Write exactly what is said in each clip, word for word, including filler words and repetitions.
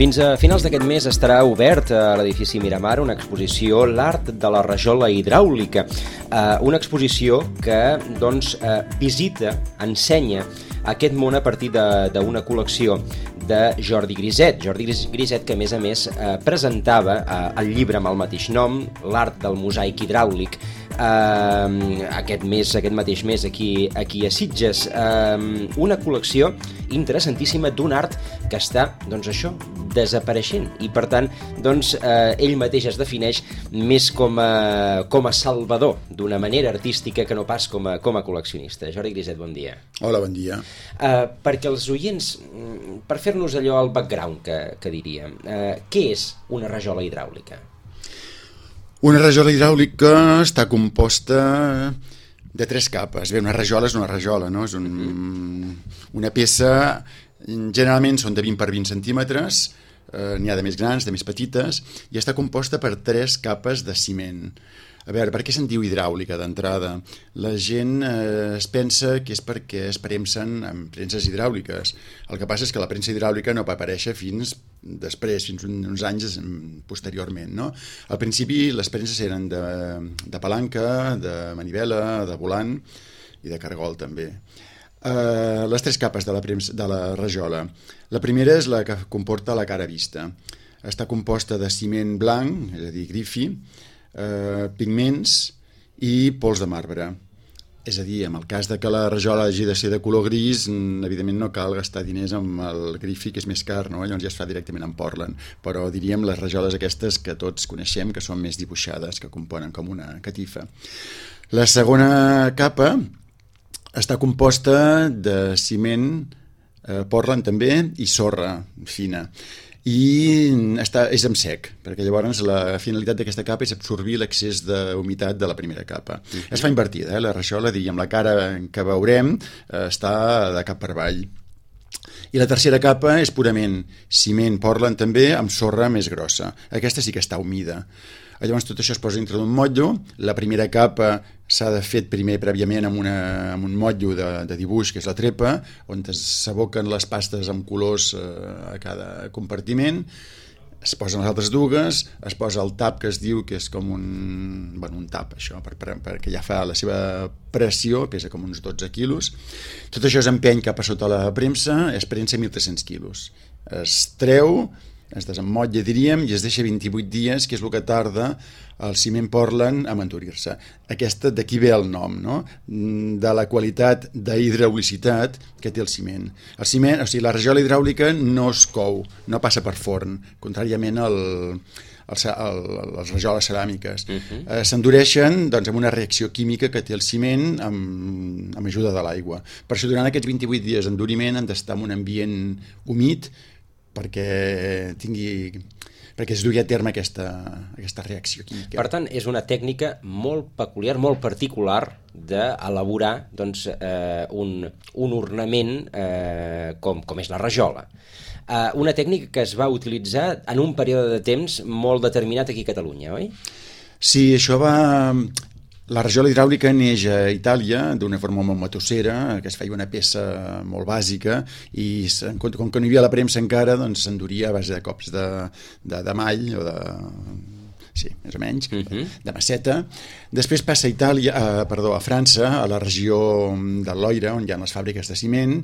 Fins a finals d'aquest mes estarà obert a l'edifici Miramar una exposició L'art de la rajola hidràulica, eh, una exposició que doncs, eh, visita, ensenya aquest món a partir d'una col·lecció de Jordi Griset. Jordi Griset, que a més a més eh, presentava eh, el llibre amb el mateix nom, L'art del mosaic hidràulic, eh, aquest mes, aquest mateix mes aquí, aquí a Sitges. Eh, una col·lecció interessantíssima d'un art que està, doncs això, desapareixent i per tant, doncs, eh, ell mateix es defineix més com a, com a salvador d'una manera artística que no pas com a, com a col·leccionista. Jordi Griset, bon dia. Hola, bon dia. Eh, perquè els oients, per fer-nos allò al background que, que diríem, eh, què és una rajola hidràulica? Una rajola hidràulica està composta de tres capes. Bé, una rajola és una rajola, no? És un, una peça, generalment són de vint per vint centímetres, eh, n'hi ha de més grans, de més petites, i està composta per tres capes de ciment. A veure, per què se'n diu hidràulica d'entrada? La gent eh, es pensa que és perquè es premsen amb premses hidràuliques. El que passa és que la premsa hidràulica no va aparèixer fins després, fins uns anys posteriorment, no? Al principi les premses eren de, de palanca, de manivela, de volant i de cargol també. Uh, les tres capes de la, premsa, de la rajola. La primera és la que comporta la cara vista. Està composta de ciment blanc, és a dir, grifi, Uh, pigments i pols de marbre. És a dir, en el cas de que la rajola hagi de ser de color gris, evidentment no cal gastar diners amb el grifi, que és més car, no? Llavors ja es fa directament amb Portland, però diríem les rajoles aquestes que tots coneixem, que són més dibuixades, que componen com una catifa. La segona capa està composta de ciment, eh, Portland també, i sorra fina. I està, és amb sec, perquè llavors la finalitat d'aquesta capa és absorbir l'excés d'humitat de la primera capa. Uh-huh. Es fa invertida, eh? La rajola, diríem, la cara que veurem eh, està de cap per avall. I la tercera capa és purament ciment Portland també, amb sorra més grossa. Aquesta sí que està humida. Llavors tot això es posa dintre d'un motllo. La primera capa s'ha de fer primer prèviament amb, una, amb un motllo de, de dibuix, que és la trepa, on s'aboquen les pastes amb colors eh, a cada compartiment. Es posen les altres dugues, es posa el tap, que es diu que és com un, bueno, un tap, això, per, per, perquè ja fa la seva pressió, pesa com uns dotze quilos. Tot això es empeny cap a sota la premsa, es prensa mil tres-cents quilos. Es treu, es desemmotlla, diríem, i es deixa vint-i-vuit dies, que és el que tarda el ciment Portland a endurir-se. Aquesta, d'aquí ve el nom, no? De la qualitat d'hidraulicitat que té el ciment. El ciment, o sigui, la rajola hidràulica no es cou, no passa per forn, contràriament al, al, al, a les rajoles ceràmiques. Uh-huh. eh, s'endureixen doncs, amb una reacció química que té el ciment amb, amb ajuda de l'aigua. Per això, durant aquests vint-i-vuit dies d'enduriment han d'estar en un ambient humit perquè tingui, perquè es dugui a terme aquesta, aquesta reacció química. Per tant, és una tècnica molt peculiar, molt particular d'elaborar doncs, eh, un, un ornament eh, com, com és la rajola. Eh, una tècnica que es va utilitzar en un període de temps molt determinat aquí a Catalunya, oi? Sí, això va... La rajola hidràulica neix a Itàlia d'una forma molt matossera, que es feia una peça molt bàsica i com que no hi havia la premsa encara, doncs s'enduria a base de cops de, de, de mall o de... sí, més o menys, uh-huh. de masseta. Després passa a Itàlia, a, perdó, a França, a la regió del Loira, on hi ha les fàbriques de ciment.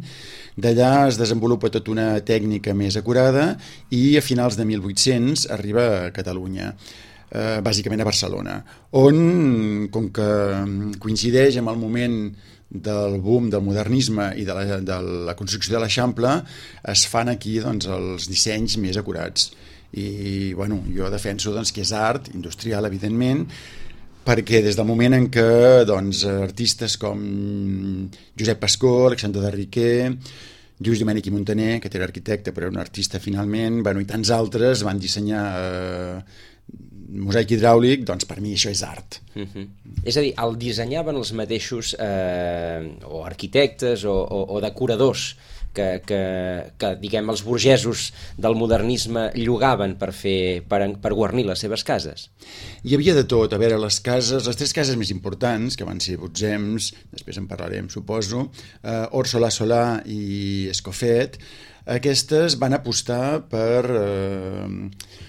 D'allà es desenvolupa tota una tècnica més acurada i a finals de mil vuit-cents arriba a Catalunya. Eh, bàsicament a Barcelona, on, com que coincideix amb el moment del boom del modernisme i de la, de la construcció de l'Eixample, es fan aquí doncs, els dissenys més acurats. I bueno, jo defenso doncs, que és art, industrial, evidentment, perquè des del moment en què doncs, artistes com Josep Pascó, Alexandre de Riquer, Lluís Domènech i Montaner, que era arquitecte però era un artista finalment, bueno, i tants altres van dissenyar eh, mosaic hidràulic, doncs per mi això és art. Uh-huh. És a dir, el dissenyaven els mateixos eh, o arquitectes o, o, o decoradors que, que, que diguem, els burgesos del modernisme llogaven per, fer, per, per guarnir les seves cases? Hi havia de tot. A veure, les cases, les tres cases més importants, que van ser Botzems, després en parlarem, suposo, eh, Orsola Solà i Escofet, aquestes van apostar per... Eh,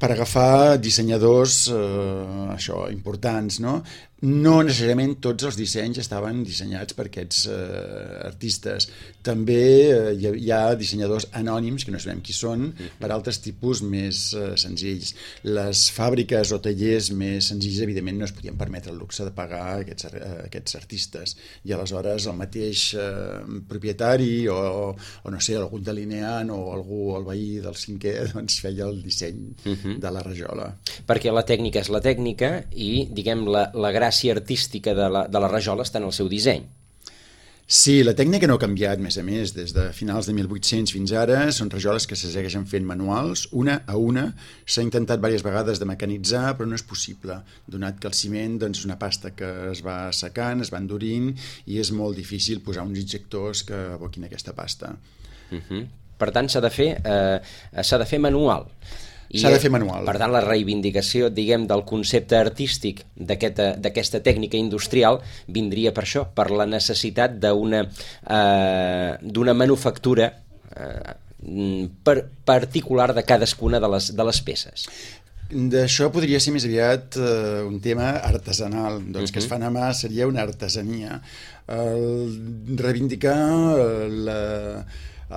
per agafar dissenyadors eh, això, importants, no? No necessàriament tots els dissenys estaven dissenyats per aquests eh, artistes. També eh, hi ha dissenyadors anònims, que no sabem qui són, per altres tipus més eh, senzills. Les fàbriques o tallers més senzills, evidentment, no es podien permetre el luxe de pagar aquests, eh, aquests artistes. I aleshores el mateix eh, propietari o, o, no sé, algun delineant o algú, el veí del cinquè, doncs feia el disseny uh-huh. de la rajola. Perquè la tècnica és la tècnica i, diguem, la, la gràcia artística de la, de la rajola està en el seu disseny. Sí, la tècnica no ha canviat, més a més, des de finals de mil vuit-cents fins ara. Són rajoles que se segueixen fent manuals, una a una. S'ha intentat diverses vegades de mecanitzar, però no és possible, donat que el ciment doncs, és una pasta que es va secant, es va endurint, i és molt difícil posar uns injectors que aboquin aquesta pasta. Uh-huh. Per tant, s'ha de fer, eh, s'ha de fer manual. S'ha de fer manual. Per tant, la reivindicació, diguem, del concepte artístic d'aquesta tècnica industrial vindria per això, per la necessitat d'una eh, d'una manufactura eh, per, particular de cadascuna de les, de les peces. D'això podria ser més aviat eh, un tema artesanal, doncs uh-huh. que es fan a mà seria una artesania. El, reivindicar la,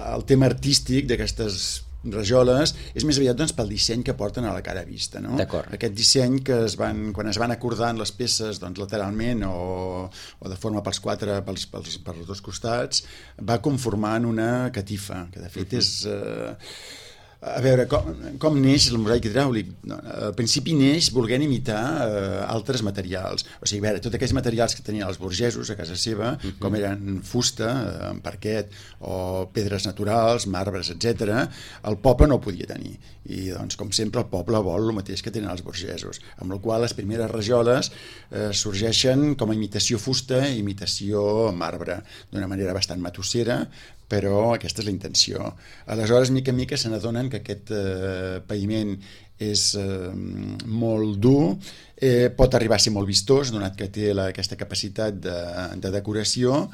el tema artístic d'aquestes rajoles és més aviat doncs, pel disseny que porten a la cara vista, no? Aquest disseny que es van, quan es van acordant les peces doncs, lateralment o, o de forma pels quatre, pels, pels, pels dos costats, va conformant una catifa, que de fet uh-huh. és... Eh, a veure, com, com neix el mosaic hidràulic? No, al principi neix volent imitar eh, altres materials. O sigui, a veure, tots aquells materials que tenien els burgesos a casa seva, uh-huh. com eren fusta, eh, parquet, o pedres naturals, marbres, etcètera, el poble no ho podia tenir. I, doncs, com sempre, el poble vol el mateix que tenen els burgesos. Amb la qual les primeres rajoles eh, sorgeixen com a imitació fusta i imitació marbre, d'una manera bastant matossera, però aquesta és la intenció. Aleshores, mica en mica se n'adonen que aquest eh, païment és eh, molt dur, eh, pot arribar a ser molt vistós, donat que té la, aquesta capacitat de, de decoració,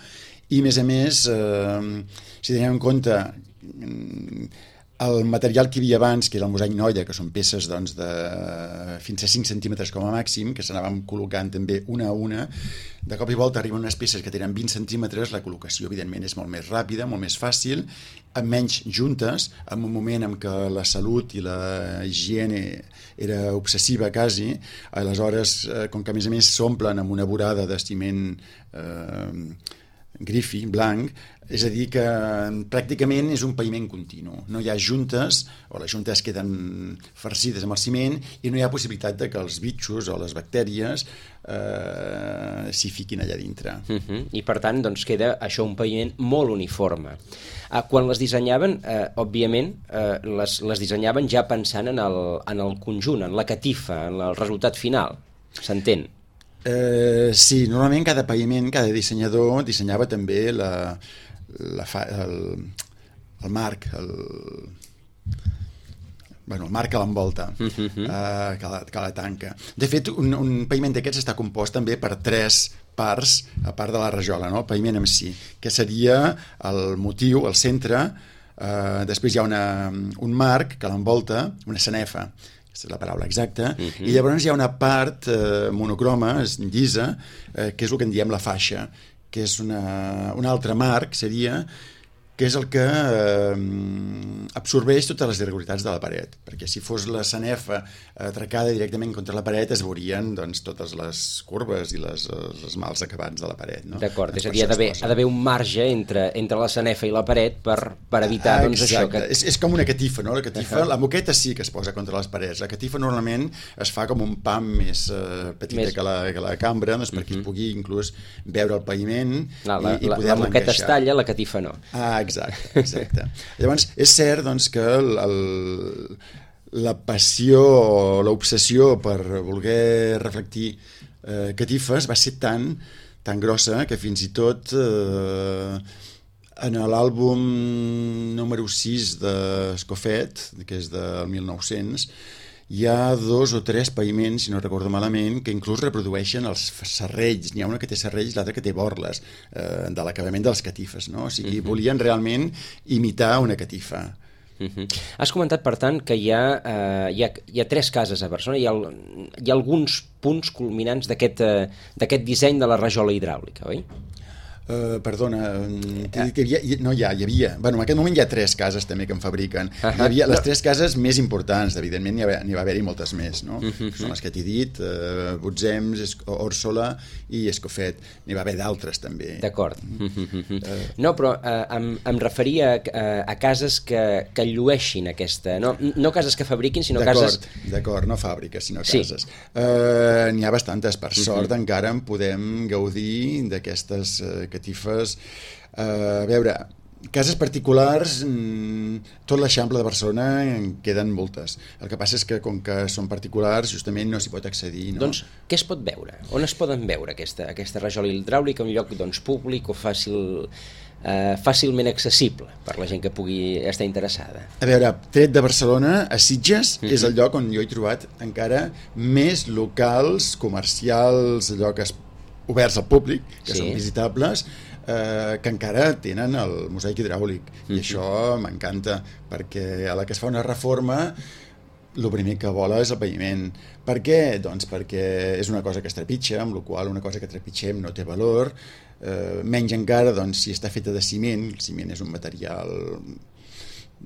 i a més a més, eh, si tenim en compte el material que hi havia abans, que era el mosaic noia, que són peces doncs, de fins a cinc centímetres com a màxim, que s'anaven col·locant també una a una, de cop i volta arriben unes peces que tenen vint centímetres, la col·locació evidentment és molt més ràpida, molt més fàcil, amb menys juntes, en un moment en què la salut i la higiene era obsessiva quasi, aleshores, com que a més a més s'omplen amb una vorada de ciment eh, grifi, blanc, és a dir que pràcticament és un païment continu. No hi ha juntes, o les juntes queden farcides amb el ciment, i no hi ha possibilitat de que els bitxos o les bactèries eh, s'hi fiquin allà dintre. Uh-huh. I per tant, doncs, queda això un païment molt uniforme. Ah, quan les dissenyaven, eh, òbviament, eh, les, les dissenyaven ja pensant en el, en el conjunt, en la catifa, en el resultat final. S'entén? Eh, sí, normalment cada païment, cada dissenyador dissenyava també la, la fa, el, el marc, el, bueno, el marc que l'envolta, uh-huh. eh, que, la, que la tanca. De fet, un, un païment d'aquests està compost també per tres parts, a part de la rajola, no? El païment en si, que seria el motiu, el centre, eh, després hi ha una, un marc que l'envolta, una sanefa, aquesta és la paraula exacta, uh-huh. i llavors hi ha una part eh, monocroma, llisa, eh, que és el que en diem la faixa, que és una, un altre marc, seria, que és el que eh, absorbeix totes les irregularitats de la paret, perquè si fos la sanefa atracada directament contra la paret es veurien doncs, totes les curves i les, els mals acabats de la paret. No? D'acord, és a dir, ha d'haver un marge entre, entre la sanefa i la paret per, per evitar ah, doncs, això. Que... És, és com una catifa, no? La catifa, uh-huh. la moqueta sí que es posa contra les parets, la catifa normalment es fa com un pam més eh, petita més... Que, la, que la cambra, doncs, perquè uh-huh. es pugui inclús veure el paviment no, la, i, i poder-la encaixar. La moqueta es talla, la catifa no. Ah, exacte, exacte. Llavors, és cert doncs, que el, el, la passió o l'obsessió per voler reflectir eh, catifes va ser tan, tan grossa que fins i tot eh, En l'àlbum número sis d'Escofet, que és del mil nou-cents, hi ha dos o tres paviments, si no recordo malament, que inclús reprodueixen els serrells. N'hi ha una que té serrells, l'altra que té borles, eh, de l'acabament de les catifes, no? O sigui, uh-huh. volien realment imitar una catifa. Uh-huh. Has comentat, per tant, que hi ha, uh, hi ha, hi ha tres cases a Barcelona, hi ha, hi ha alguns punts culminants d'aquest uh, d'aquest disseny de la rajola hidràulica, oi? Uh, perdona, t'he dit que hi havia, no hi ha, hi havia, bueno, en aquest moment hi ha tres cases també que en fabriquen, uh -huh. hi havia les tres cases més importants, evidentment n'hi va, n'hi va haver-hi moltes més, no? Uh -huh. Que són les que t'he dit, uh, Butzems, Òrsola i Escofet, n'hi va haver d'altres també. D'acord. Uh -huh. uh, no, però uh, em, em referia a, a cases que, que llueixin aquesta, no, no cases que fabriquin, sinó cases... D'acord, no fàbriques, sinó cases. Sí. Uh, n'hi ha bastantes, per sort uh -huh. encara en podem gaudir d'aquestes uh, catifes. Uh, a veure, cases particulars, mm, tot l'Eixample de Barcelona en queden moltes. El que passa és que, com que són particulars, justament no s'hi pot accedir. No? Doncs, què es pot veure? On es poden veure aquesta, aquesta rajola hidràulica? Un lloc doncs, públic o fàcil... Uh, fàcilment accessible per la gent que pugui estar interessada? A veure, tret de Barcelona, a Sitges mm-hmm. és el lloc on jo he trobat encara més locals, comercials, llocs oberts al públic, que sí. són visitables, eh, que encara tenen el mosaic hidràulic. Mm-hmm. I això m'encanta, perquè a la que es fa una reforma el primer que vola és el paviment. Per què? Doncs perquè és una cosa que es trepitja, amb la qual una cosa que trepitgem no té valor, eh, menys encara doncs, si està feta de ciment. El ciment és un material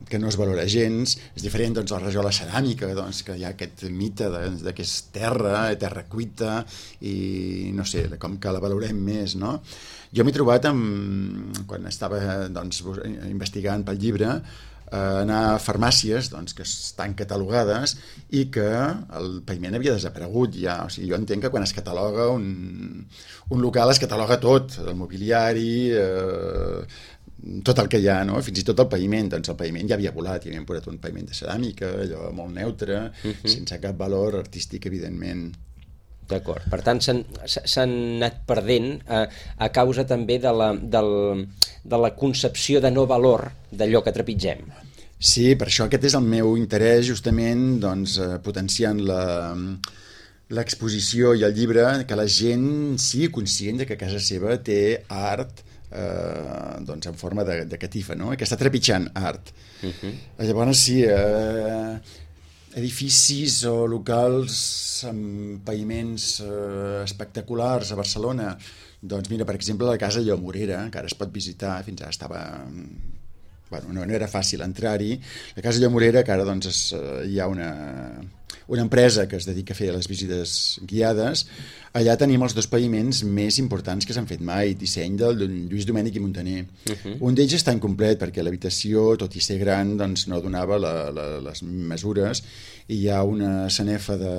que no es valora gens. És diferent doncs, a la rajola ceràmica, doncs, que hi ha aquest mite de, de que és terra, terra cuita, i no sé, com que la valorem més, no? Jo m'he trobat, amb, quan estava doncs, investigant pel llibre, anar a farmàcies doncs, que estan catalogades i que el paviment havia desaparegut ja. O sigui, jo entenc que quan es cataloga un, un local es cataloga tot, el mobiliari, eh, tot el que hi ha, no? Fins i tot el paviment, doncs el paviment ja havia volat, hi havien posat un paviment de ceràmica, allò molt neutre, uh-huh. sense cap valor artístic, evidentment. D'acord, per tant s'han anat perdent a, a causa també de la, del, de la concepció de no valor d'allò que trepitgem. Sí, per això aquest és el meu interès, justament doncs, potenciant la, l'exposició i el llibre, que la gent sigui conscient de que casa seva té art eh, doncs en forma de, de catifa, no? Que està trepitjant art. Uh-huh. Llavors sí, eh, edificis o locals amb paviments eh, espectaculars a Barcelona. Doncs mira, per exemple, la Casa Llomorera, que ara es pot visitar, fins ara estava... Bueno, no, no era fàcil entrar-hi. La Casa Llomorera, que ara doncs, es, hi ha una, una empresa que es dedica a fer les visites guiades. Allà tenim els dos paviments més importants que s'han fet mai, disseny del Lluís Domènech i Muntaner. Uh-huh. Un d'ells està incomplet perquè l'habitació, tot i ser gran, doncs, no donava la, la, les mesures, i hi ha una sanefa de,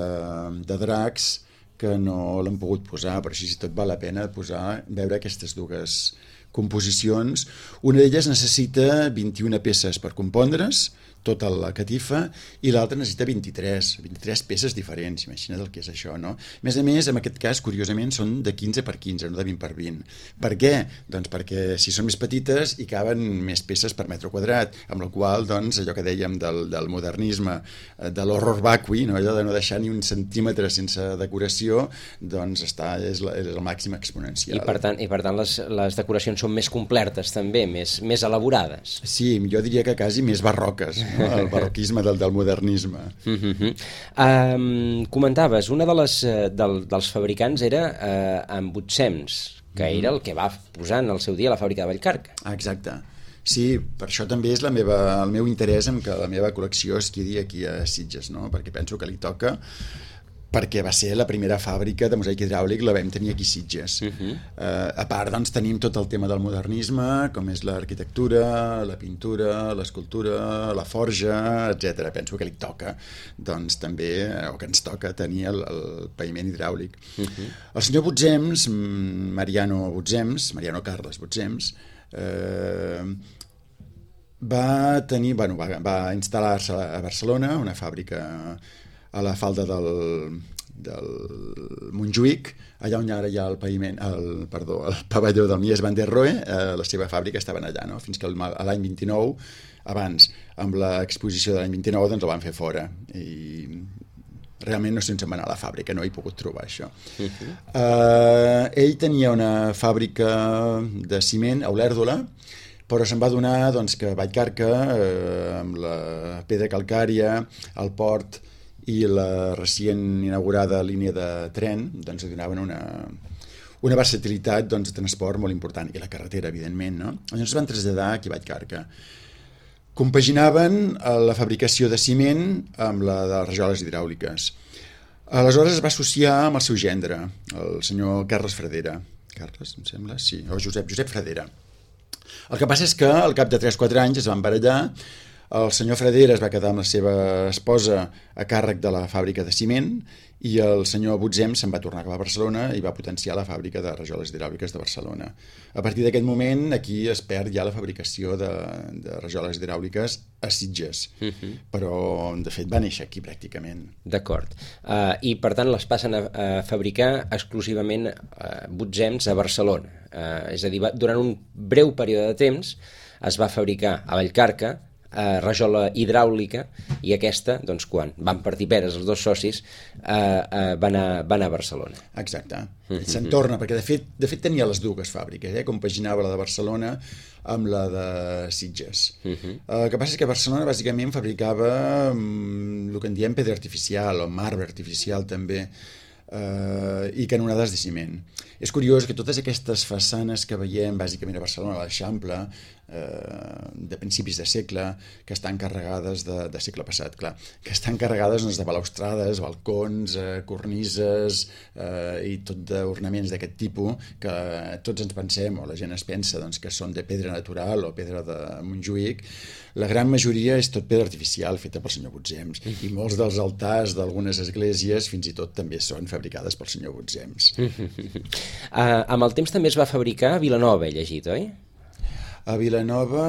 de dracs que no l'han pogut posar, però així tot val la pena posar, veure aquestes dues composicions. Una d'elles necessita vint-i-una peces per compondre's, tota la catifa, i l'altra necessita vint-i-tres, vint-i-tres peces diferents, imagina't el que és això, no? A més a més, en aquest cas, curiosament, són de quinze per quinze, no de vint per vint. Per què? Doncs perquè si són més petites hi caben més peces per metre quadrat, amb la qual, doncs, allò que dèiem del, del modernisme, de l'horror vacui, no? Allò de no deixar ni un centímetre sense decoració, doncs està, és, la, és el màxim exponencial. I per tant, i per tant les, les decoracions són més completes també, més, més elaborades. Sí, jo diria que quasi més barroques, no? El barroquisme del, del modernisme. Uh-huh. um, comentaves, una de les, del, dels fabricants era uh, en Butzems, que uh-huh. era el que va posar en el seu dia la fàbrica de Vallcarca. Exacte. Sí, per això també és la meva, el meu interès en que la meva col·lecció es quedi aquí a Sitges, no? Perquè penso que li toca, perquè va ser la primera fàbrica de mosaic hidràulic, la vam tenir aquí a Sitges. Uh-huh. uh, a part, doncs, tenim tot el tema del modernisme, com és l'arquitectura, la pintura, l'escultura, la forja, etcètera. Penso que li toca, doncs, també, o que ens toca tenir el, el paviment hidràulic. Uh-huh. El senyor Butzems, Mariano Butzems, Mariano Carles Butzems, eh, va tenir, bueno, va, va instal·lar-se a Barcelona, una fàbrica a la falda del, del Montjuïc, allà on ara hi ha el paviment, el, perdó, el pavelló del Mies van der Rohe, eh, la seva fàbrica estaven allà, no? Fins que l'any vint-i-nou, abans, amb l'exposició de l'any vint-i-nou, doncs el van fer fora. I realment no sé on se'n va anar a la fàbrica, no he pogut trobar això. Uh-huh. eh, ell tenia una fàbrica de ciment a Olèrdola, però se'n va donar doncs, que Vallcarca, eh, amb la pedra calcària, el port i la recient inaugurada línia de tren, doncs donaven una, una versatilitat doncs, de transport molt important, i la carretera, evidentment, no? Llavors es van traslladar aquí a Vallcarca. Compaginaven la fabricació de ciment amb la de les rajoles hidràuliques. Aleshores es va associar amb el seu gendre, el senyor Carles Fradera. Carles, em sembla? Sí, o Josep, Josep Fradera. El que passa és que al cap de tres o quatre anys es van barallar, el senyor Fradera es va quedar amb la seva esposa a càrrec de la fàbrica de ciment i el senyor Butzem se'n va tornar cap a Barcelona i va potenciar la fàbrica de rajoles hidràuliques de Barcelona. A partir d'aquest moment aquí es perd ja la fabricació de, de rajoles hidràuliques a Sitges, uh-huh. però de fet va néixer aquí pràcticament. D'acord. Uh, I per tant les passen a, a fabricar exclusivament uh, Butzems a Barcelona. Uh, és a dir, va, durant un breu període de temps es va fabricar a Vallcarca eh, rajola hidràulica, i aquesta, doncs, quan van partir peres els dos socis, eh, eh, van, a, van a Barcelona. Exacte. Mm-hmm. Se'n torna, perquè de fet, de fet tenia les dues fàbriques, eh? Compaginava la de Barcelona amb la de Sitges. Mm-hmm. El que passa és que Barcelona bàsicament fabricava mm, el que en diem pedra artificial o marbre artificial també, Uh, i canonades de ciment. És curiós que totes aquestes façanes que veiem bàsicament a Barcelona, a l'Eixample, uh, de principis de segle, que estan carregades de, de segle passat, clar, que estan carregades doncs, de balaustrades, balcons, uh, cornises uh, i tot d'ornaments d'aquest tipus, que tots ens pensem, o la gent es pensa doncs, que són de pedra natural o pedra de Montjuïc. La gran majoria és tot pedra artificial feta pel senyor Butzems, i molts dels altars d'algunes esglésies fins i tot també són fabricades pel senyor Butzems. Uh, amb el temps també es va fabricar a Vilanova, he llegit, oi? A Vilanova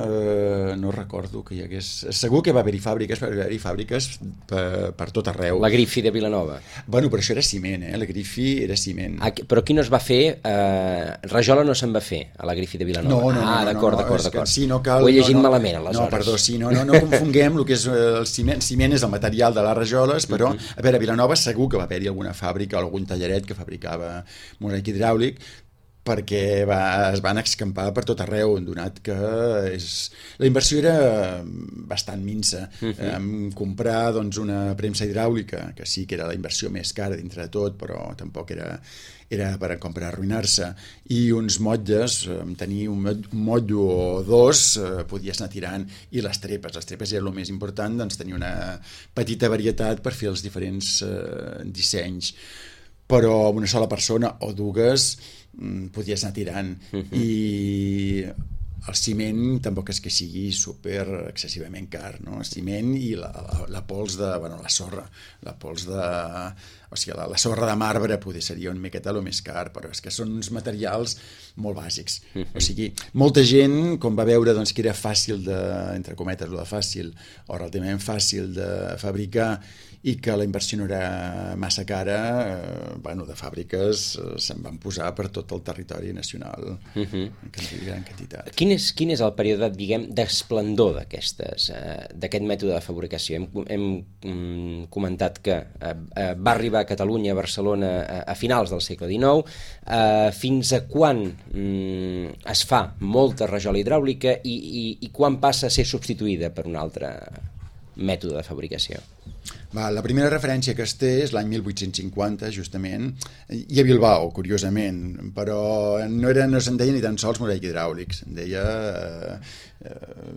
eh, no recordo que hi hagués... Segur que va haver-hi fàbriques, va haver-hi fàbriques per, per tot arreu. La Grifi de Vilanova. Bueno, però això era ciment, eh? La Grifi era ciment. Ah, però aquí no es va fer... Eh, rajola no se'n va fer, a la Grifi de Vilanova. No, no, ah, no. d'acord, no, d'acord, d'acord. Sí, no cal, ho he llegit no, no, malament, aleshores. No, perdó, sí, no, no, no confonguem el que és el ciment. Ciment és el material de les rajoles, però, uh-huh. a veure, a Vilanova segur que va haver-hi alguna fàbrica o algun tallaret que fabricava mosaic hidràulic, perquè va, es van escampar per tot arreu, donat que és... la inversió era bastant minsa. Uh-huh. Em comprar doncs, una premsa hidràulica, que sí que era la inversió més cara dintre de tot, però tampoc era, era per, com per arruïnar-se, i uns motlles, tenir un motllo o dos, eh, podies anar tirant, i les trepes, les trepes era el més important, doncs tenir una petita varietat per fer els diferents eh, dissenys, però una sola persona o dues podies anar tirant. Uh-huh. I el ciment tampoc és que sigui super excessivament car, no? El ciment i la, la, la pols de... bueno, la sorra, la pols de... o sigui, la, la sorra de marbre poder seria una miqueta el més car, però és que són uns materials molt bàsics. Uh-huh. O sigui, molta gent, com va veure doncs, que era fàcil de, entre cometes, lo de fàcil, o relativament fàcil de fabricar, i que la inversió no era massa cara, eh, bueno, de fàbriques eh, se'n van posar per tot el territori nacional, uh-huh. en gran quantitat. Quin és, quin és el període, diguem, d'esplendor d'aquestes, eh, d'aquest mètode de fabricació? Hem, hem mm, comentat que eh, va arribar a Catalunya, a Barcelona, a, a finals del segle dinou. Eh, fins a quan mm, es fa molta rajola hidràulica i, i, i quan passa a ser substituïda per un altre mètode de fabricació? Va, la primera referència que es té és l'any mil vuit-cents cinquanta, justament, i a Bilbao, curiosament, però no, era, no se'n deia ni tan sols mosaic hidràulic, se'n deia eh, eh,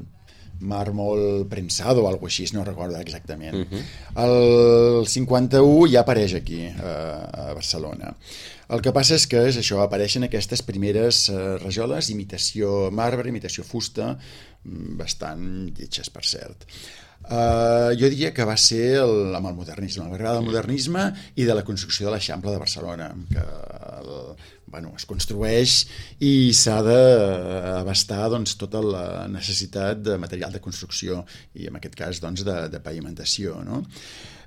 màrmol prensado o alguna cosa així, no recordo exactament. Uh-huh. El cinquanta-u ja apareix aquí, eh, a Barcelona. El que passa és que és això, apareixen aquestes primeres eh, rajoles, imitació marbre, imitació fusta, bastant lletges, per cert. Uh, jo diria que va ser el, amb el modernisme, l'arribada del modernisme i de la construcció de l'Eixample de Barcelona, que el, bueno, es construeix i s'ha d'abastar doncs, tota la necessitat de material de construcció i en aquest cas doncs, de, de pavimentació. No?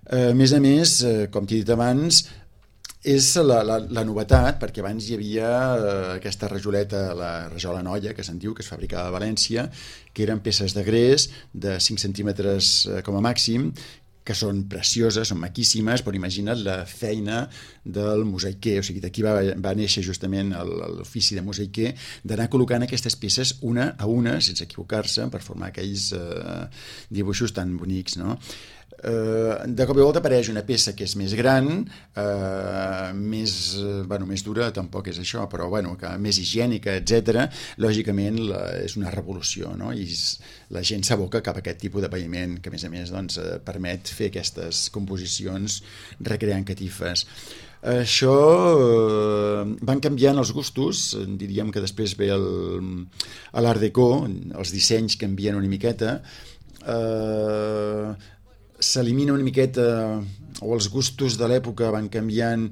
Uh, a més a més, uh, com t'he dit abans, és la, la, la novetat, perquè abans hi havia eh, aquesta rajoleta, la rajola noia, que se'n diu, que es fabricava a València, que eren peces de gres de cinc centímetres eh, com a màxim, que són precioses, són maquíssimes, però imagina't la feina del mosaiquer, o sigui, d'aquí va, va néixer justament l'ofici de mosaiquer, d'anar col·locant aquestes peces una a una, sense equivocar-se, per formar aquells eh, dibuixos tan bonics, no? Uh, de cop i volta apareix una peça que és més gran, uh, més, uh, bueno, més dura, tampoc és això, però bueno, que més higiènica, etcètera. Lògicament la, és una revolució, no? I la gent s'aboca cap a aquest tipus de paviment que a més a més doncs, uh, permet fer aquestes composicions recreant catifes. Això uh, van canviant els gustos, diríem que després ve el, l'Art Déco, els dissenys canvien una miqueta, eh uh, s'elimina una miqueta, o els gustos de l'època van canviant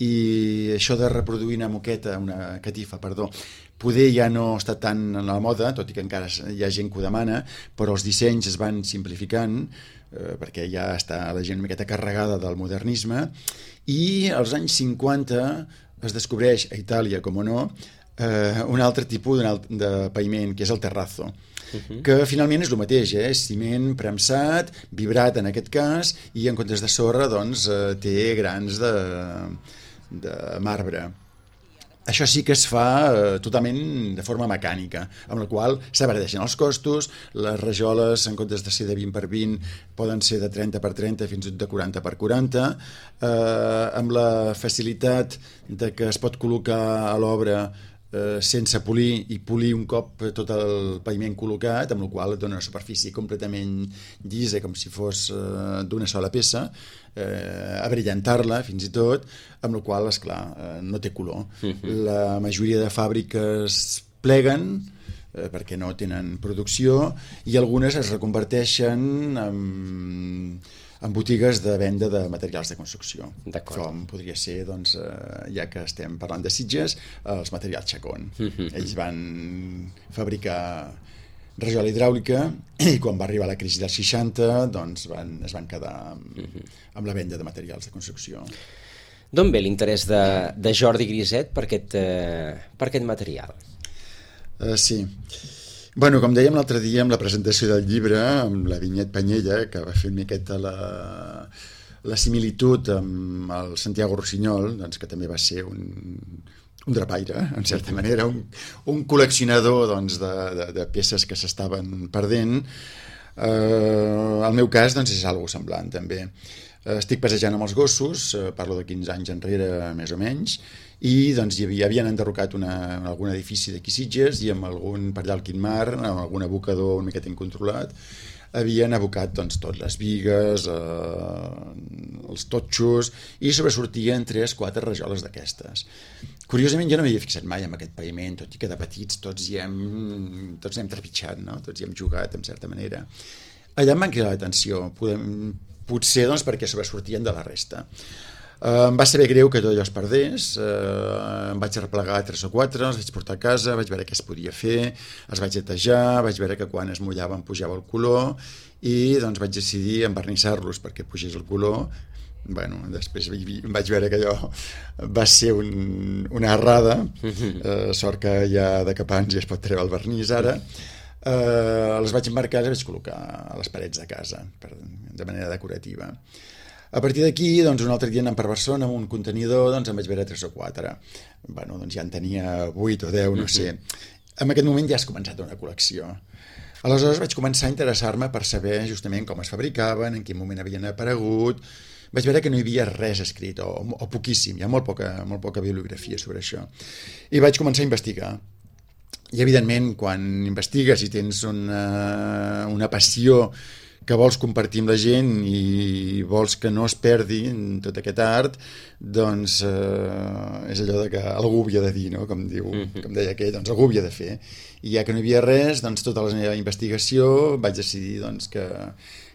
i això de reproduir una moqueta, una catifa, perdó, poder ja no està tan a la moda, tot i que encara hi ha gent que ho demana, però els dissenys es van simplificant, eh, perquè ja està la gent una miqueta carregada del modernisme, i als anys cinquanta es descobreix a Itàlia, com o no, eh, un altre tipus de paviment, que és el terrazzo. Uh-huh. Que finalment és el mateix, eh? És ciment premsat, vibrat en aquest cas, i en comptes de sorra doncs, eh, té grans de, de marbre. Això sí que es fa eh, totalment de forma mecànica, amb la qual s'abardeixen els costos, les rajoles en comptes de ser de vint per vint poden ser de trenta per trenta fins de quaranta per quaranta, eh, amb la facilitat de que es pot col·locar a l'obra Eh, sense polir i polir un cop tot el paviment col·locat, amb la qual et dona una superfície completament llisa, com si fos eh, d'una sola peça, eh, abrillantar-la fins i tot, amb la qual, esclar, eh, no té color. Uh-huh. La majoria de fàbriques pleguen eh, perquè no tenen producció i algunes es reconverteixen en en botigues de venda de materials de construcció. Com podria ser, doncs, eh, ja que estem parlant de Sitges, els materials Chacón. Mm-hmm. Ells van fabricar rajola hidràulica i quan va arribar la crisi dels seixanta doncs van, es van quedar amb, mm-hmm. amb la venda de materials de construcció. D'on ve l'interès de, de Jordi Griset per aquest, eh, per aquest material? Uh, sí. Bueno, com dèiem l'altre dia amb la presentació del llibre, amb la Vinyet Panyella, que va fer una miqueta la, la similitud amb el Santiago Rossinyol, doncs, que també va ser un, un drapaire, en certa manera, un, un col·leccionador doncs, de, de, de peces que s'estaven perdent. Eh, el meu cas doncs, és algo semblant, també. Estic passejant amb els gossos, parlo de quinze anys enrere, més o menys, i doncs hi havia, havien enderrocat una, algun edifici d'aquí Sitges i amb algun per allà al Quintmar, amb algun abocador una miqueta incontrolat, havien abocat doncs, tot, les bigues, eh, els totxos, i sobresortien tres, quatre rajoles d'aquestes. Curiosament jo no m'havia fixat mai en aquest paviment, tot i que de petits tots hi hem, tots hem trepitjat, no? Tots hi hem jugat, en certa manera. Allà em van cridar l'atenció, podem, potser doncs, perquè sobresortien de la resta. Uh, em va saber greu que tot allò es perdés, uh, em vaig replegar tres o quatre, els vaig portar a casa, vaig veure què es podia fer, els vaig netejar, vaig veure que quan es mullaven pujava el color i doncs vaig decidir envernissar-los perquè pugés el color. Bueno, després vaig veure que allò va ser un, una errada, uh, sort que ja de cap anys ja es pot treure el vernís ara. Uh, els vaig emmarcar i els vaig col·locar a les parets de casa per, de manera decorativa. A partir d'aquí, doncs, un altre dia anant per Barcelona amb un contenidor, doncs em vaig veure tres o quatre. Bueno, doncs ja en tenia vuit o deu, no sé. En aquest moment ja has començat una col·lecció. Aleshores vaig començar a interessar-me per saber justament com es fabricaven, en quin moment havien aparegut. Vaig veure que no hi havia res escrit, o, o poquíssim, hi ha molt poca, molt poca bibliografia sobre això. I vaig començar a investigar. I evidentment, quan investigues i tens una, una passió que vols compartir amb la gent i vols que no es perdi tot aquest art, doncs eh, és allò de que algú havia de dir, no? Com diu, mm-hmm. com deia aquell, doncs algú havia de fer. I ja que no hi havia res, doncs tota la meva investigació vaig decidir doncs, que,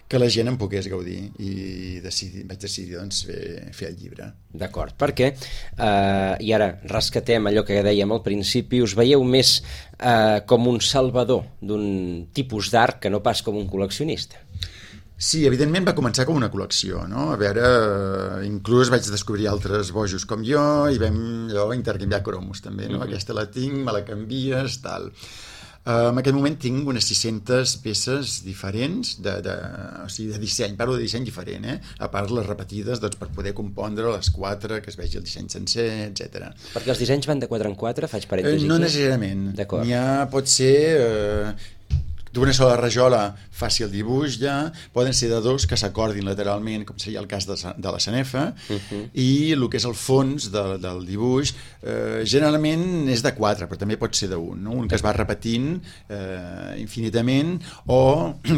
que la gent en pogués gaudir, i decidi, vaig decidir doncs, fer, fer el llibre. D'acord, perquè, eh, i ara rescatem allò que dèiem al principi, us veieu més eh, com un salvador d'un tipus d'art que no pas com un col·leccionista? Sí, evidentment va començar com una col·lecció, no? A veure, inclús vaig descobrir altres bojos com jo i vam allò, intercanviar cromos també, no? Mm-hmm. Aquesta la tinc, me la canvies, tal. Uh, en aquest moment tinc unes sis-centes peces diferents de, de, o sigui, de disseny, parlo de disseny diferent, eh? A part les repetides doncs, per poder compondre les quatre, que es vegi el disseny sencer, etcètera. Perquè els dissenys van de quatre en quatre, faig parèntesis uh, No aquí. necessàriament. D'acord. N'hi ha, pot ser... Uh, d'una sola rajola faci el dibuix ja, poden ser de dos que s'acordin lateralment, com seria el cas de, de la sanefa, uh-huh. I el que és el fons de, del dibuix eh, generalment és de quatre, però també pot ser d'un, no? Un que es va repetint eh, infinitament, o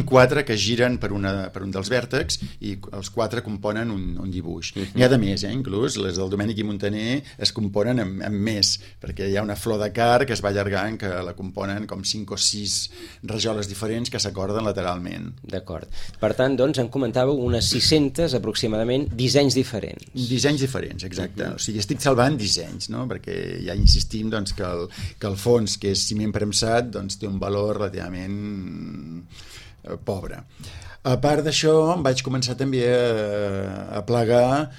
quatre que giren per, una, per un dels vèrtexs i els quatre componen un, un dibuix. Uh-huh. N'hi ha de més, eh? Inclús les del Domènec i Montaner es componen amb, amb més, perquè hi ha una flor de car que es va allargant, que la componen com cinc o sis rajoles diferents que s'acorden lateralment. D'acord. Per tant, doncs, en comentàveu unes sis-centes aproximadament dissenys diferents. Dissenys diferents, exacte. Uh-huh. O sigui, estic salvant dissenys, no? Perquè ja insistim doncs, que, el, que el fons, que és ciment premsat, doncs, té un valor relativament eh, pobre. A part d'això, vaig començar també a, a plegar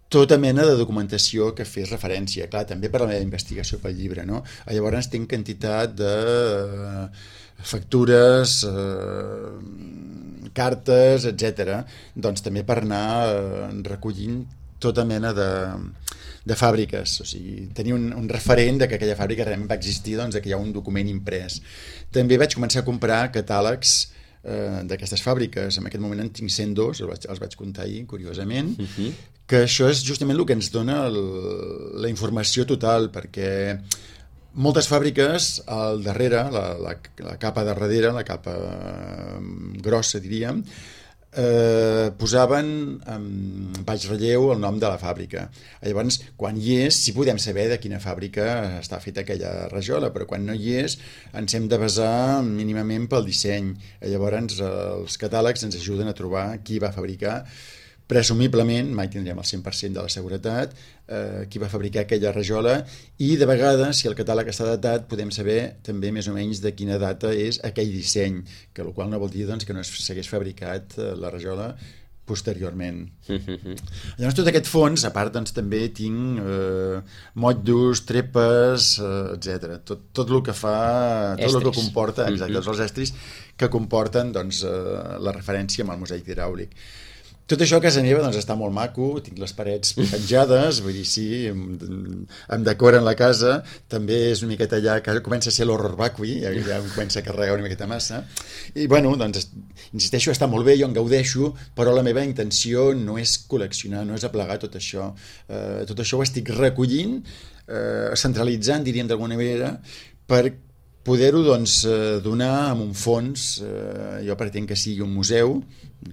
tota mena de documentació que fes referència, clar, també per a la meva investigació pel llibre, no? Llavors tinc quantitat de factures, eh, cartes, etcètera, doncs també per anar eh, recollint tota mena de, de fàbriques, o sigui, tenir un, un referent de que aquella fàbrica realment va existir, doncs que hi ha un document imprès. També vaig començar a comprar catàlegs eh, d'aquestes fàbriques, en aquest moment en tinc cent dos, els vaig, els vaig comptar ahir, curiosament, uh-huh. Que això és justament el que ens dona el, la informació total, perquè moltes fàbriques al darrere, la, la, la capa de darrere, la capa grossa diríem, eh, posaven en baix relleu el nom de la fàbrica. Llavors, quan hi és, sí podem saber de quina fàbrica està feta aquella rajola, però quan no hi és ens hem de basar mínimament pel disseny. Llavors els catàlegs ens ajuden a trobar qui va fabricar, presumiblement, mai tindrem el cent per cent de la seguretat, eh, qui va fabricar aquella rajola, i de vegades, si el catàleg està datat, podem saber també més o menys de quina data és aquell disseny, que el qual no vol dir doncs, que no s'hagués fabricat eh, la rajola posteriorment. Mm-hmm. Llavors, tot aquest fons, a part, doncs, també tinc eh, motllos, trepes, eh, etcètera. Tot, tot el que fa, tot estris. El que comporta, exacte, mm-hmm. Els estris que comporten doncs, eh, la referència amb el mosaic hidràulic. Tot això a casa meva doncs, està molt maco, tinc les parets penjades, vull dir, sí, em, em decoren la casa, també és una miqueta allà que comença a ser l'horror vacui, ja, ja em comença a carregar una miqueta massa, i bueno, doncs, insisteixo, està molt bé, jo en gaudeixo, però la meva intenció no és col·leccionar, no és aplegar tot això, eh, tot això ho estic recollint, eh, centralitzant, diríem d'alguna manera, per poder-ho doncs, donar amb un fons, eh, jo pretenc que sigui un museu,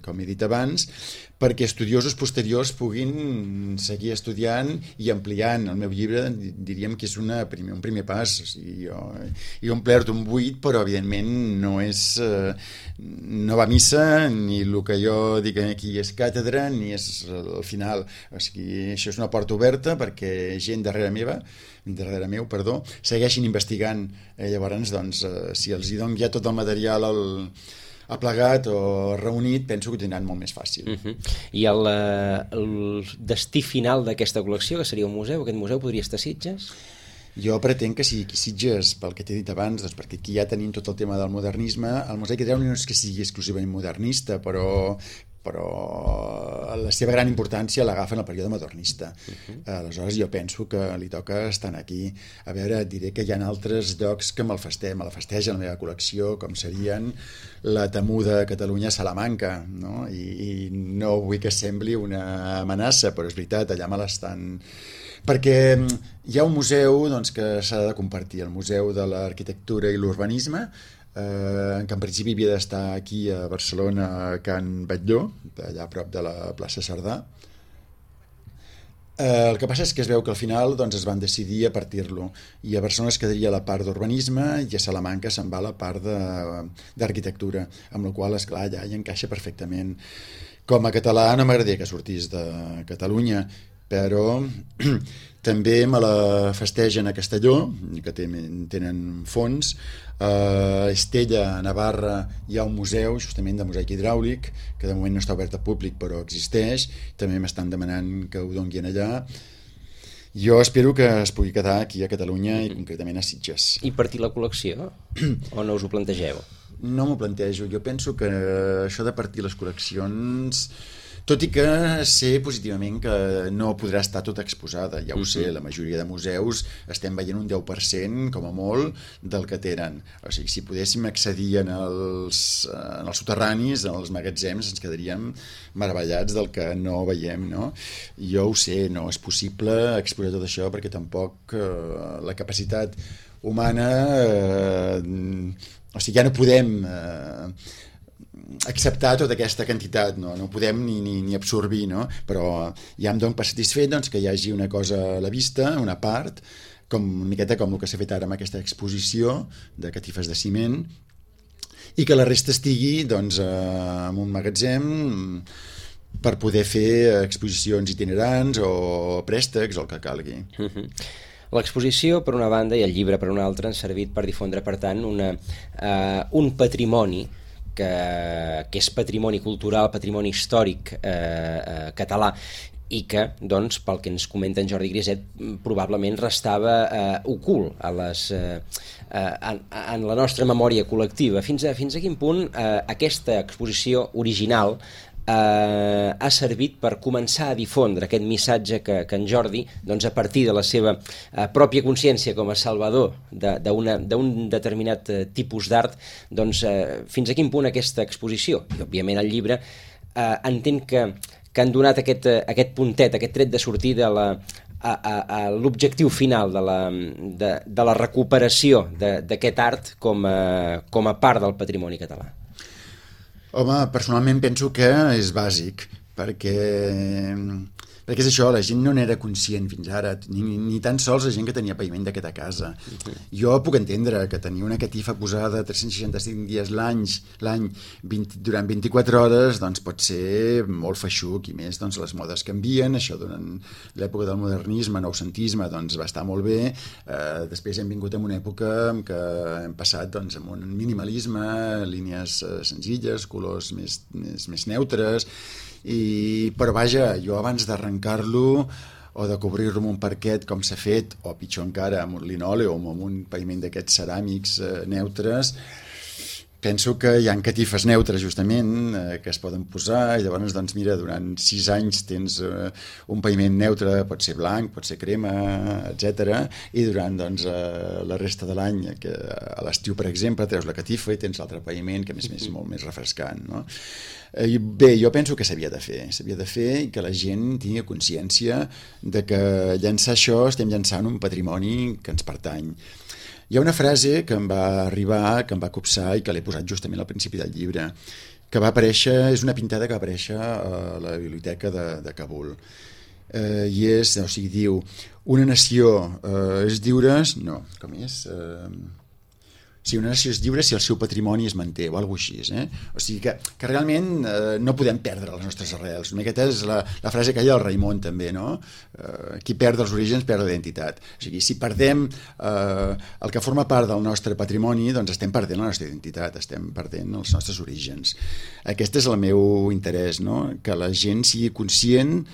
com he dit abans, perquè estudiosos posteriors puguin seguir estudiant i ampliant. El meu llibre diríem que és una primer, un primer pas, o sigui, jo he omplert un buit, però evidentment no és eh, no va a missa, ni el que jo dic aquí és càtedra, ni és el final. O sigui, això és una porta oberta perquè gent darrere meva darrere meu, perdó, segueixin investigant. Eh, llavors, doncs, eh, si els hi dono ja tot el material al, aplegat o reunit, penso que ho tindran molt més fàcil. Uh-huh. I el, el destí final d'aquesta col·lecció, que seria un museu, aquest museu podria estar a Sitges? Jo pretenc que sigui aquí Sitges, pel que t'he dit abans, doncs perquè aquí ja tenim tot el tema del modernisme. El mosaic hidràulic no és que sigui exclusivament modernista, però però la seva gran importància l'agafa en el període modernista. Uh-huh. Aleshores jo penso que li toca estar aquí. A veure, et diré que hi ha altres llocs que me'l festegen, me la festeja la meva col·lecció, com serien la temuda Catalunya Salamanca, no? I, i no vull que sembli una amenaça, però és veritat, allà me l'estan... Perquè hi ha un museu doncs, que s'ha de compartir, el Museu de l'Arquitectura i l'Urbanisme, Eh, que en principi havia d'estar aquí a Barcelona, a Can Batlló, allà a prop de la plaça Cerdà, Eh, el que passa és que es veu que al final doncs, es van decidir a partir-lo, i a Barcelona es quedaria la part d'urbanisme i a Salamanca se'n va la part d'arquitectura, amb la qual, esclar, ja hi encaixa perfectament. Com a català no m'agradaria que sortís de Catalunya, però també me la festegen a Castelló, que tenen fons. A Estella, a Navarra, hi ha un museu justament de mosaic hidràulic, que de moment no està obert al públic però existeix, també m'estan demanant que ho donguin allà. Jo espero que es pugui quedar aquí a Catalunya i concretament a Sitges. I partir la col·lecció? O no us ho plantegeu? No m'ho plantejo, jo penso que això de partir les col·leccions, tot i que sé positivament que no podrà estar tota exposada, ja ho sé, la majoria de museus estem veient un deu per cent, com a molt, del que tenen. O sigui, si podéssim accedir en els, en els soterranis, en els magatzems, ens quedaríem meravellats del que no veiem, no? Jo ho sé, no és possible exposar tot això perquè tampoc eh, la capacitat humana, eh, o sigui, ja no podem eh, acceptar tota aquesta quantitat, no, no podem ni, ni, ni absorbir, no? Però ja em dono per satisfet doncs, que hi hagi una cosa a la vista, una part, com una miqueta com el que s'ha fet ara amb aquesta exposició de catifes de ciment, i que la resta estigui doncs, en un magatzem per poder fer exposicions itinerants o préstecs o el que calgui. Uh-huh. L'exposició, per una banda, i el llibre, per una altra, han servit per difondre, per tant, una, uh, un patrimoni que, que és patrimoni cultural, patrimoni històric eh, eh, català, i que, doncs, pel que ens comenta en Jordi Griset, probablement restava eh, ocult a les, eh, en, en la nostra memòria col·lectiva. Fins a, fins a quin punt eh, aquesta exposició original Uh, ha servit per començar a difondre aquest missatge que, que en Jordi, doncs, a partir de la seva uh, pròpia consciència com a salvador d'un determinat uh, tipus d'art, doncs, uh, fins a quin punt aquesta exposició, i òbviament el llibre, uh, entén que, que han donat aquest, uh, aquest puntet, aquest tret de sortida a la, a, a, a l'objectiu final de la, de, de la recuperació d'aquest art com a, com a part del patrimoni català. Home, personalment penso que és bàsic, perquè, perquè és això, la gent no n'era conscient fins ara, ni, ni tan sols la gent que tenia paviment d'aquesta casa. Uh-huh. Jo puc entendre que tenir una catifa posada tres-cents seixanta-cinc dies l'any, l'any durant vint-i-quatre hores, doncs pot ser molt feixuc, i més doncs, les modes canvien, això durant l'època del modernisme, noucentisme, doncs va estar molt bé, eh, després hem vingut en una època en què hem passat doncs, amb un minimalisme, línies eh, senzilles, colors més, més, més neutres, i, però vaja, jo abans d'arrencar-lo o de cobrir-lo amb un parquet com s'ha fet, o pitjor encara amb un linòleum o amb un paviment d'aquests ceràmics eh, neutres, penso que hi ha catifes neutres justament eh, que es poden posar, i llavors doncs mira, durant sis anys tens eh, un paviment neutre, pot ser blanc, pot ser crema, etcètera, i durant doncs, eh, la resta de l'any, que a l'estiu per exemple treus la catifa i tens l'altre paviment que a més és molt més refrescant, no? Eh, bé, jo penso que s'havia de fer s'havia de fer i que la gent tingui consciència de que llançar això estem llançant un patrimoni que ens pertany. Hi ha una frase que em va arribar, que em va copsar i que l'he posat justament al principi del llibre, que va aparèixer, és una pintada que va aparèixer a la biblioteca de, de Kabul. Eh, I és, o sigui, diu, una nació eh, és lliure, no, com és? Eh, si una nació és lliure si el seu patrimoni es manté, o alguna cosa així, eh? O sigui que, que realment eh, no podem perdre les nostres arrels. Una miqueta és la, la frase que hi ha del Raimon també, no? Eh, qui perd els orígens perd la identitat. O sigui, si perdem eh, el que forma part del nostre patrimoni, doncs estem perdent la nostra identitat, estem perdent els nostres orígens. Aquest és el meu interès, no? Que la gent sigui conscient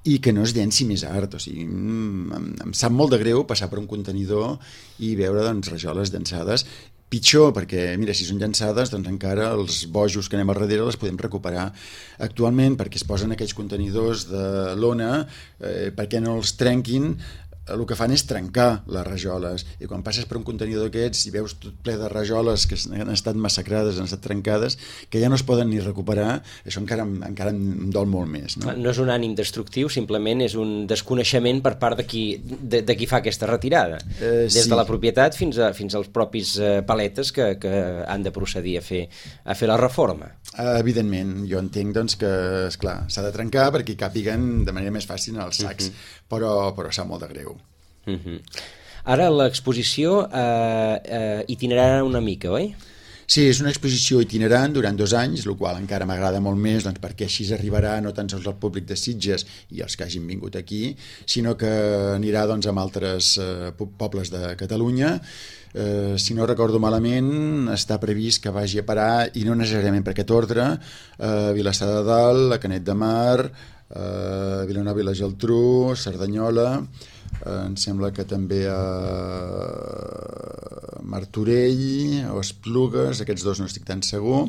i que no es llenci més art. O sigui, em, em sap molt de greu passar per un contenidor i veure doncs, rajoles llançades. Pitjor, perquè, mira, si són llançades, doncs encara els bojos que anem al darrere les podem recuperar actualment, perquè es posen aquells contenidors de lona, eh, perquè no els trenquin, el que fan és trencar les rajoles, i quan passes per un contenidor d'aquests i veus tot ple de rajoles que han estat massacrades, han estat trencades, que ja no es poden ni recuperar, això encara, encara em dol molt més. No? No és un ànim destructiu, simplement és un desconeixement per part de qui, de, de qui fa aquesta retirada, eh, des sí. de la propietat fins, a, fins als propis eh, paletes que, que han de procedir a fer, a fer la reforma. Uh, evidentment, jo entenc doncs, que esclar, s'ha de trencar perquè hi càpiguen de manera més fàcil en els sacs, uh-huh. però, però sap molt de greu. Uh-huh. Ara l'exposició eh, eh, itinerarà una mica, oi? Sí, és una exposició itinerant durant dos anys, el qual encara m'agrada molt més doncs, perquè així arribarà no tan sols al públic de Sitges i els que hagin vingut aquí, sinó que anirà doncs, amb altres eh, pobles de Catalunya. Eh, si no recordo malament, està previst que vagi a parar, i no necessàriament per aquest ordre, a Vilassar de Dalt, a Canet de Mar, a Vilanova i la Geltrú, Cerdanyola, eh, em sembla que també a Martorell o Esplugues, aquests dos no estic tan segur,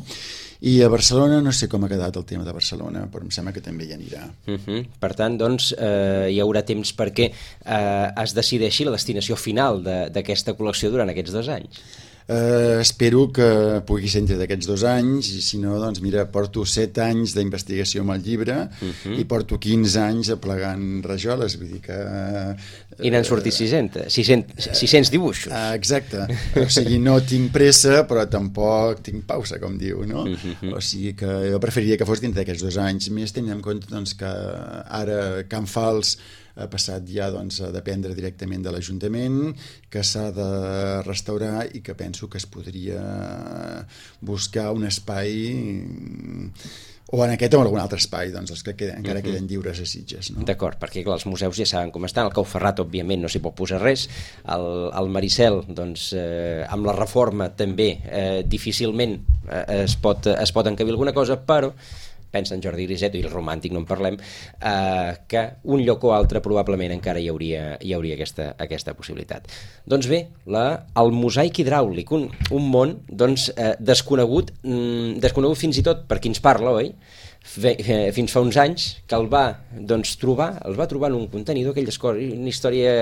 i a Barcelona no sé com ha quedat el tema de Barcelona, però em sembla que també hi anirà. Uh-huh. Per tant, doncs, eh, hi haurà temps perquè eh, es decideixi la destinació final d'aquesta col·lecció durant aquests dos anys. Uh, espero que pugui ser entre d'aquests dos anys, i si no, doncs mira, porto set anys d'investigació amb el llibre, uh-huh. i porto quinze anys aplegant rajoles, vull dir que... Uh, I n'han sortit sis-cents, sis-cents dibuixos. Uh, exacte, o sigui, no tinc pressa, però tampoc tinc pausa, com diu, no? Uh-huh. O sigui que jo preferiria que fos dintre d'aquests dos anys, més tenint en compte doncs, que ara Can Fals ha passat ja doncs, a dependre directament de l'Ajuntament, que s'ha de restaurar i que penso que es podria buscar un espai, o en aquest o en algun altre espai, doncs els que queden, encara uh-huh. queden lliures a Sitges. No? D'acord, perquè clar, els museus ja saben com estan, el Cau Ferrat òbviament no s'hi pot posar res, el, el Maricel doncs, eh, amb la reforma també eh, difícilment eh, es, pot, es pot encabir alguna cosa, però pensa en Jordi Griset, i el romàntic no en parlem, eh, que un lloc o altre probablement encara hi hauria, hi hauria aquesta, aquesta possibilitat. Doncs bé, la, el mosaic hidràulic, un, un món doncs, eh, desconegut, mm, desconegut fins i tot per qui ens parla, oi? Fe, eh, fins fa uns anys, que el va doncs, trobar, el va trobar en un contenidor, aquella una història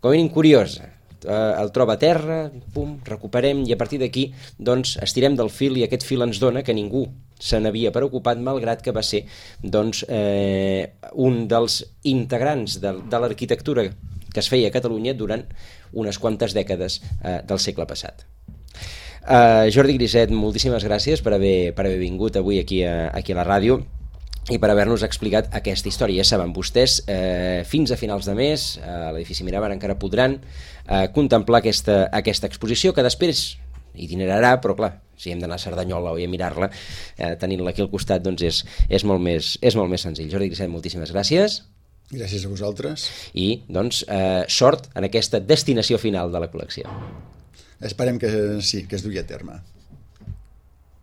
com a mínim curiosa. Uh, el troba a terra, pum, recuperem, i a partir d'aquí doncs, estirem del fil, i aquest fil ens dona que ningú se n'havia preocupat, malgrat que va ser doncs, eh, un dels integrants de, de l'arquitectura que es feia a Catalunya durant unes quantes dècades eh, del segle passat. Uh, Jordi Griset, moltíssimes gràcies per haver, per haver vingut avui aquí a, aquí a la ràdio i per haver-nos explicat aquesta història. Ja saben vostès, eh, fins a finals de mes a l'edifici Miramar encara podran eh, contemplar aquesta, aquesta exposició, que després itinerarà, però clar, si hem d'anar a Cerdanyola o a mirar-la, eh, tenint-la aquí al costat, doncs és, és, molt més, és molt més senzill. Jordi Griset, moltíssimes gràcies. Gràcies a vosaltres. I doncs eh, sort en aquesta destinació final de la col·lecció. Esperem que sí, que es dugui a terme.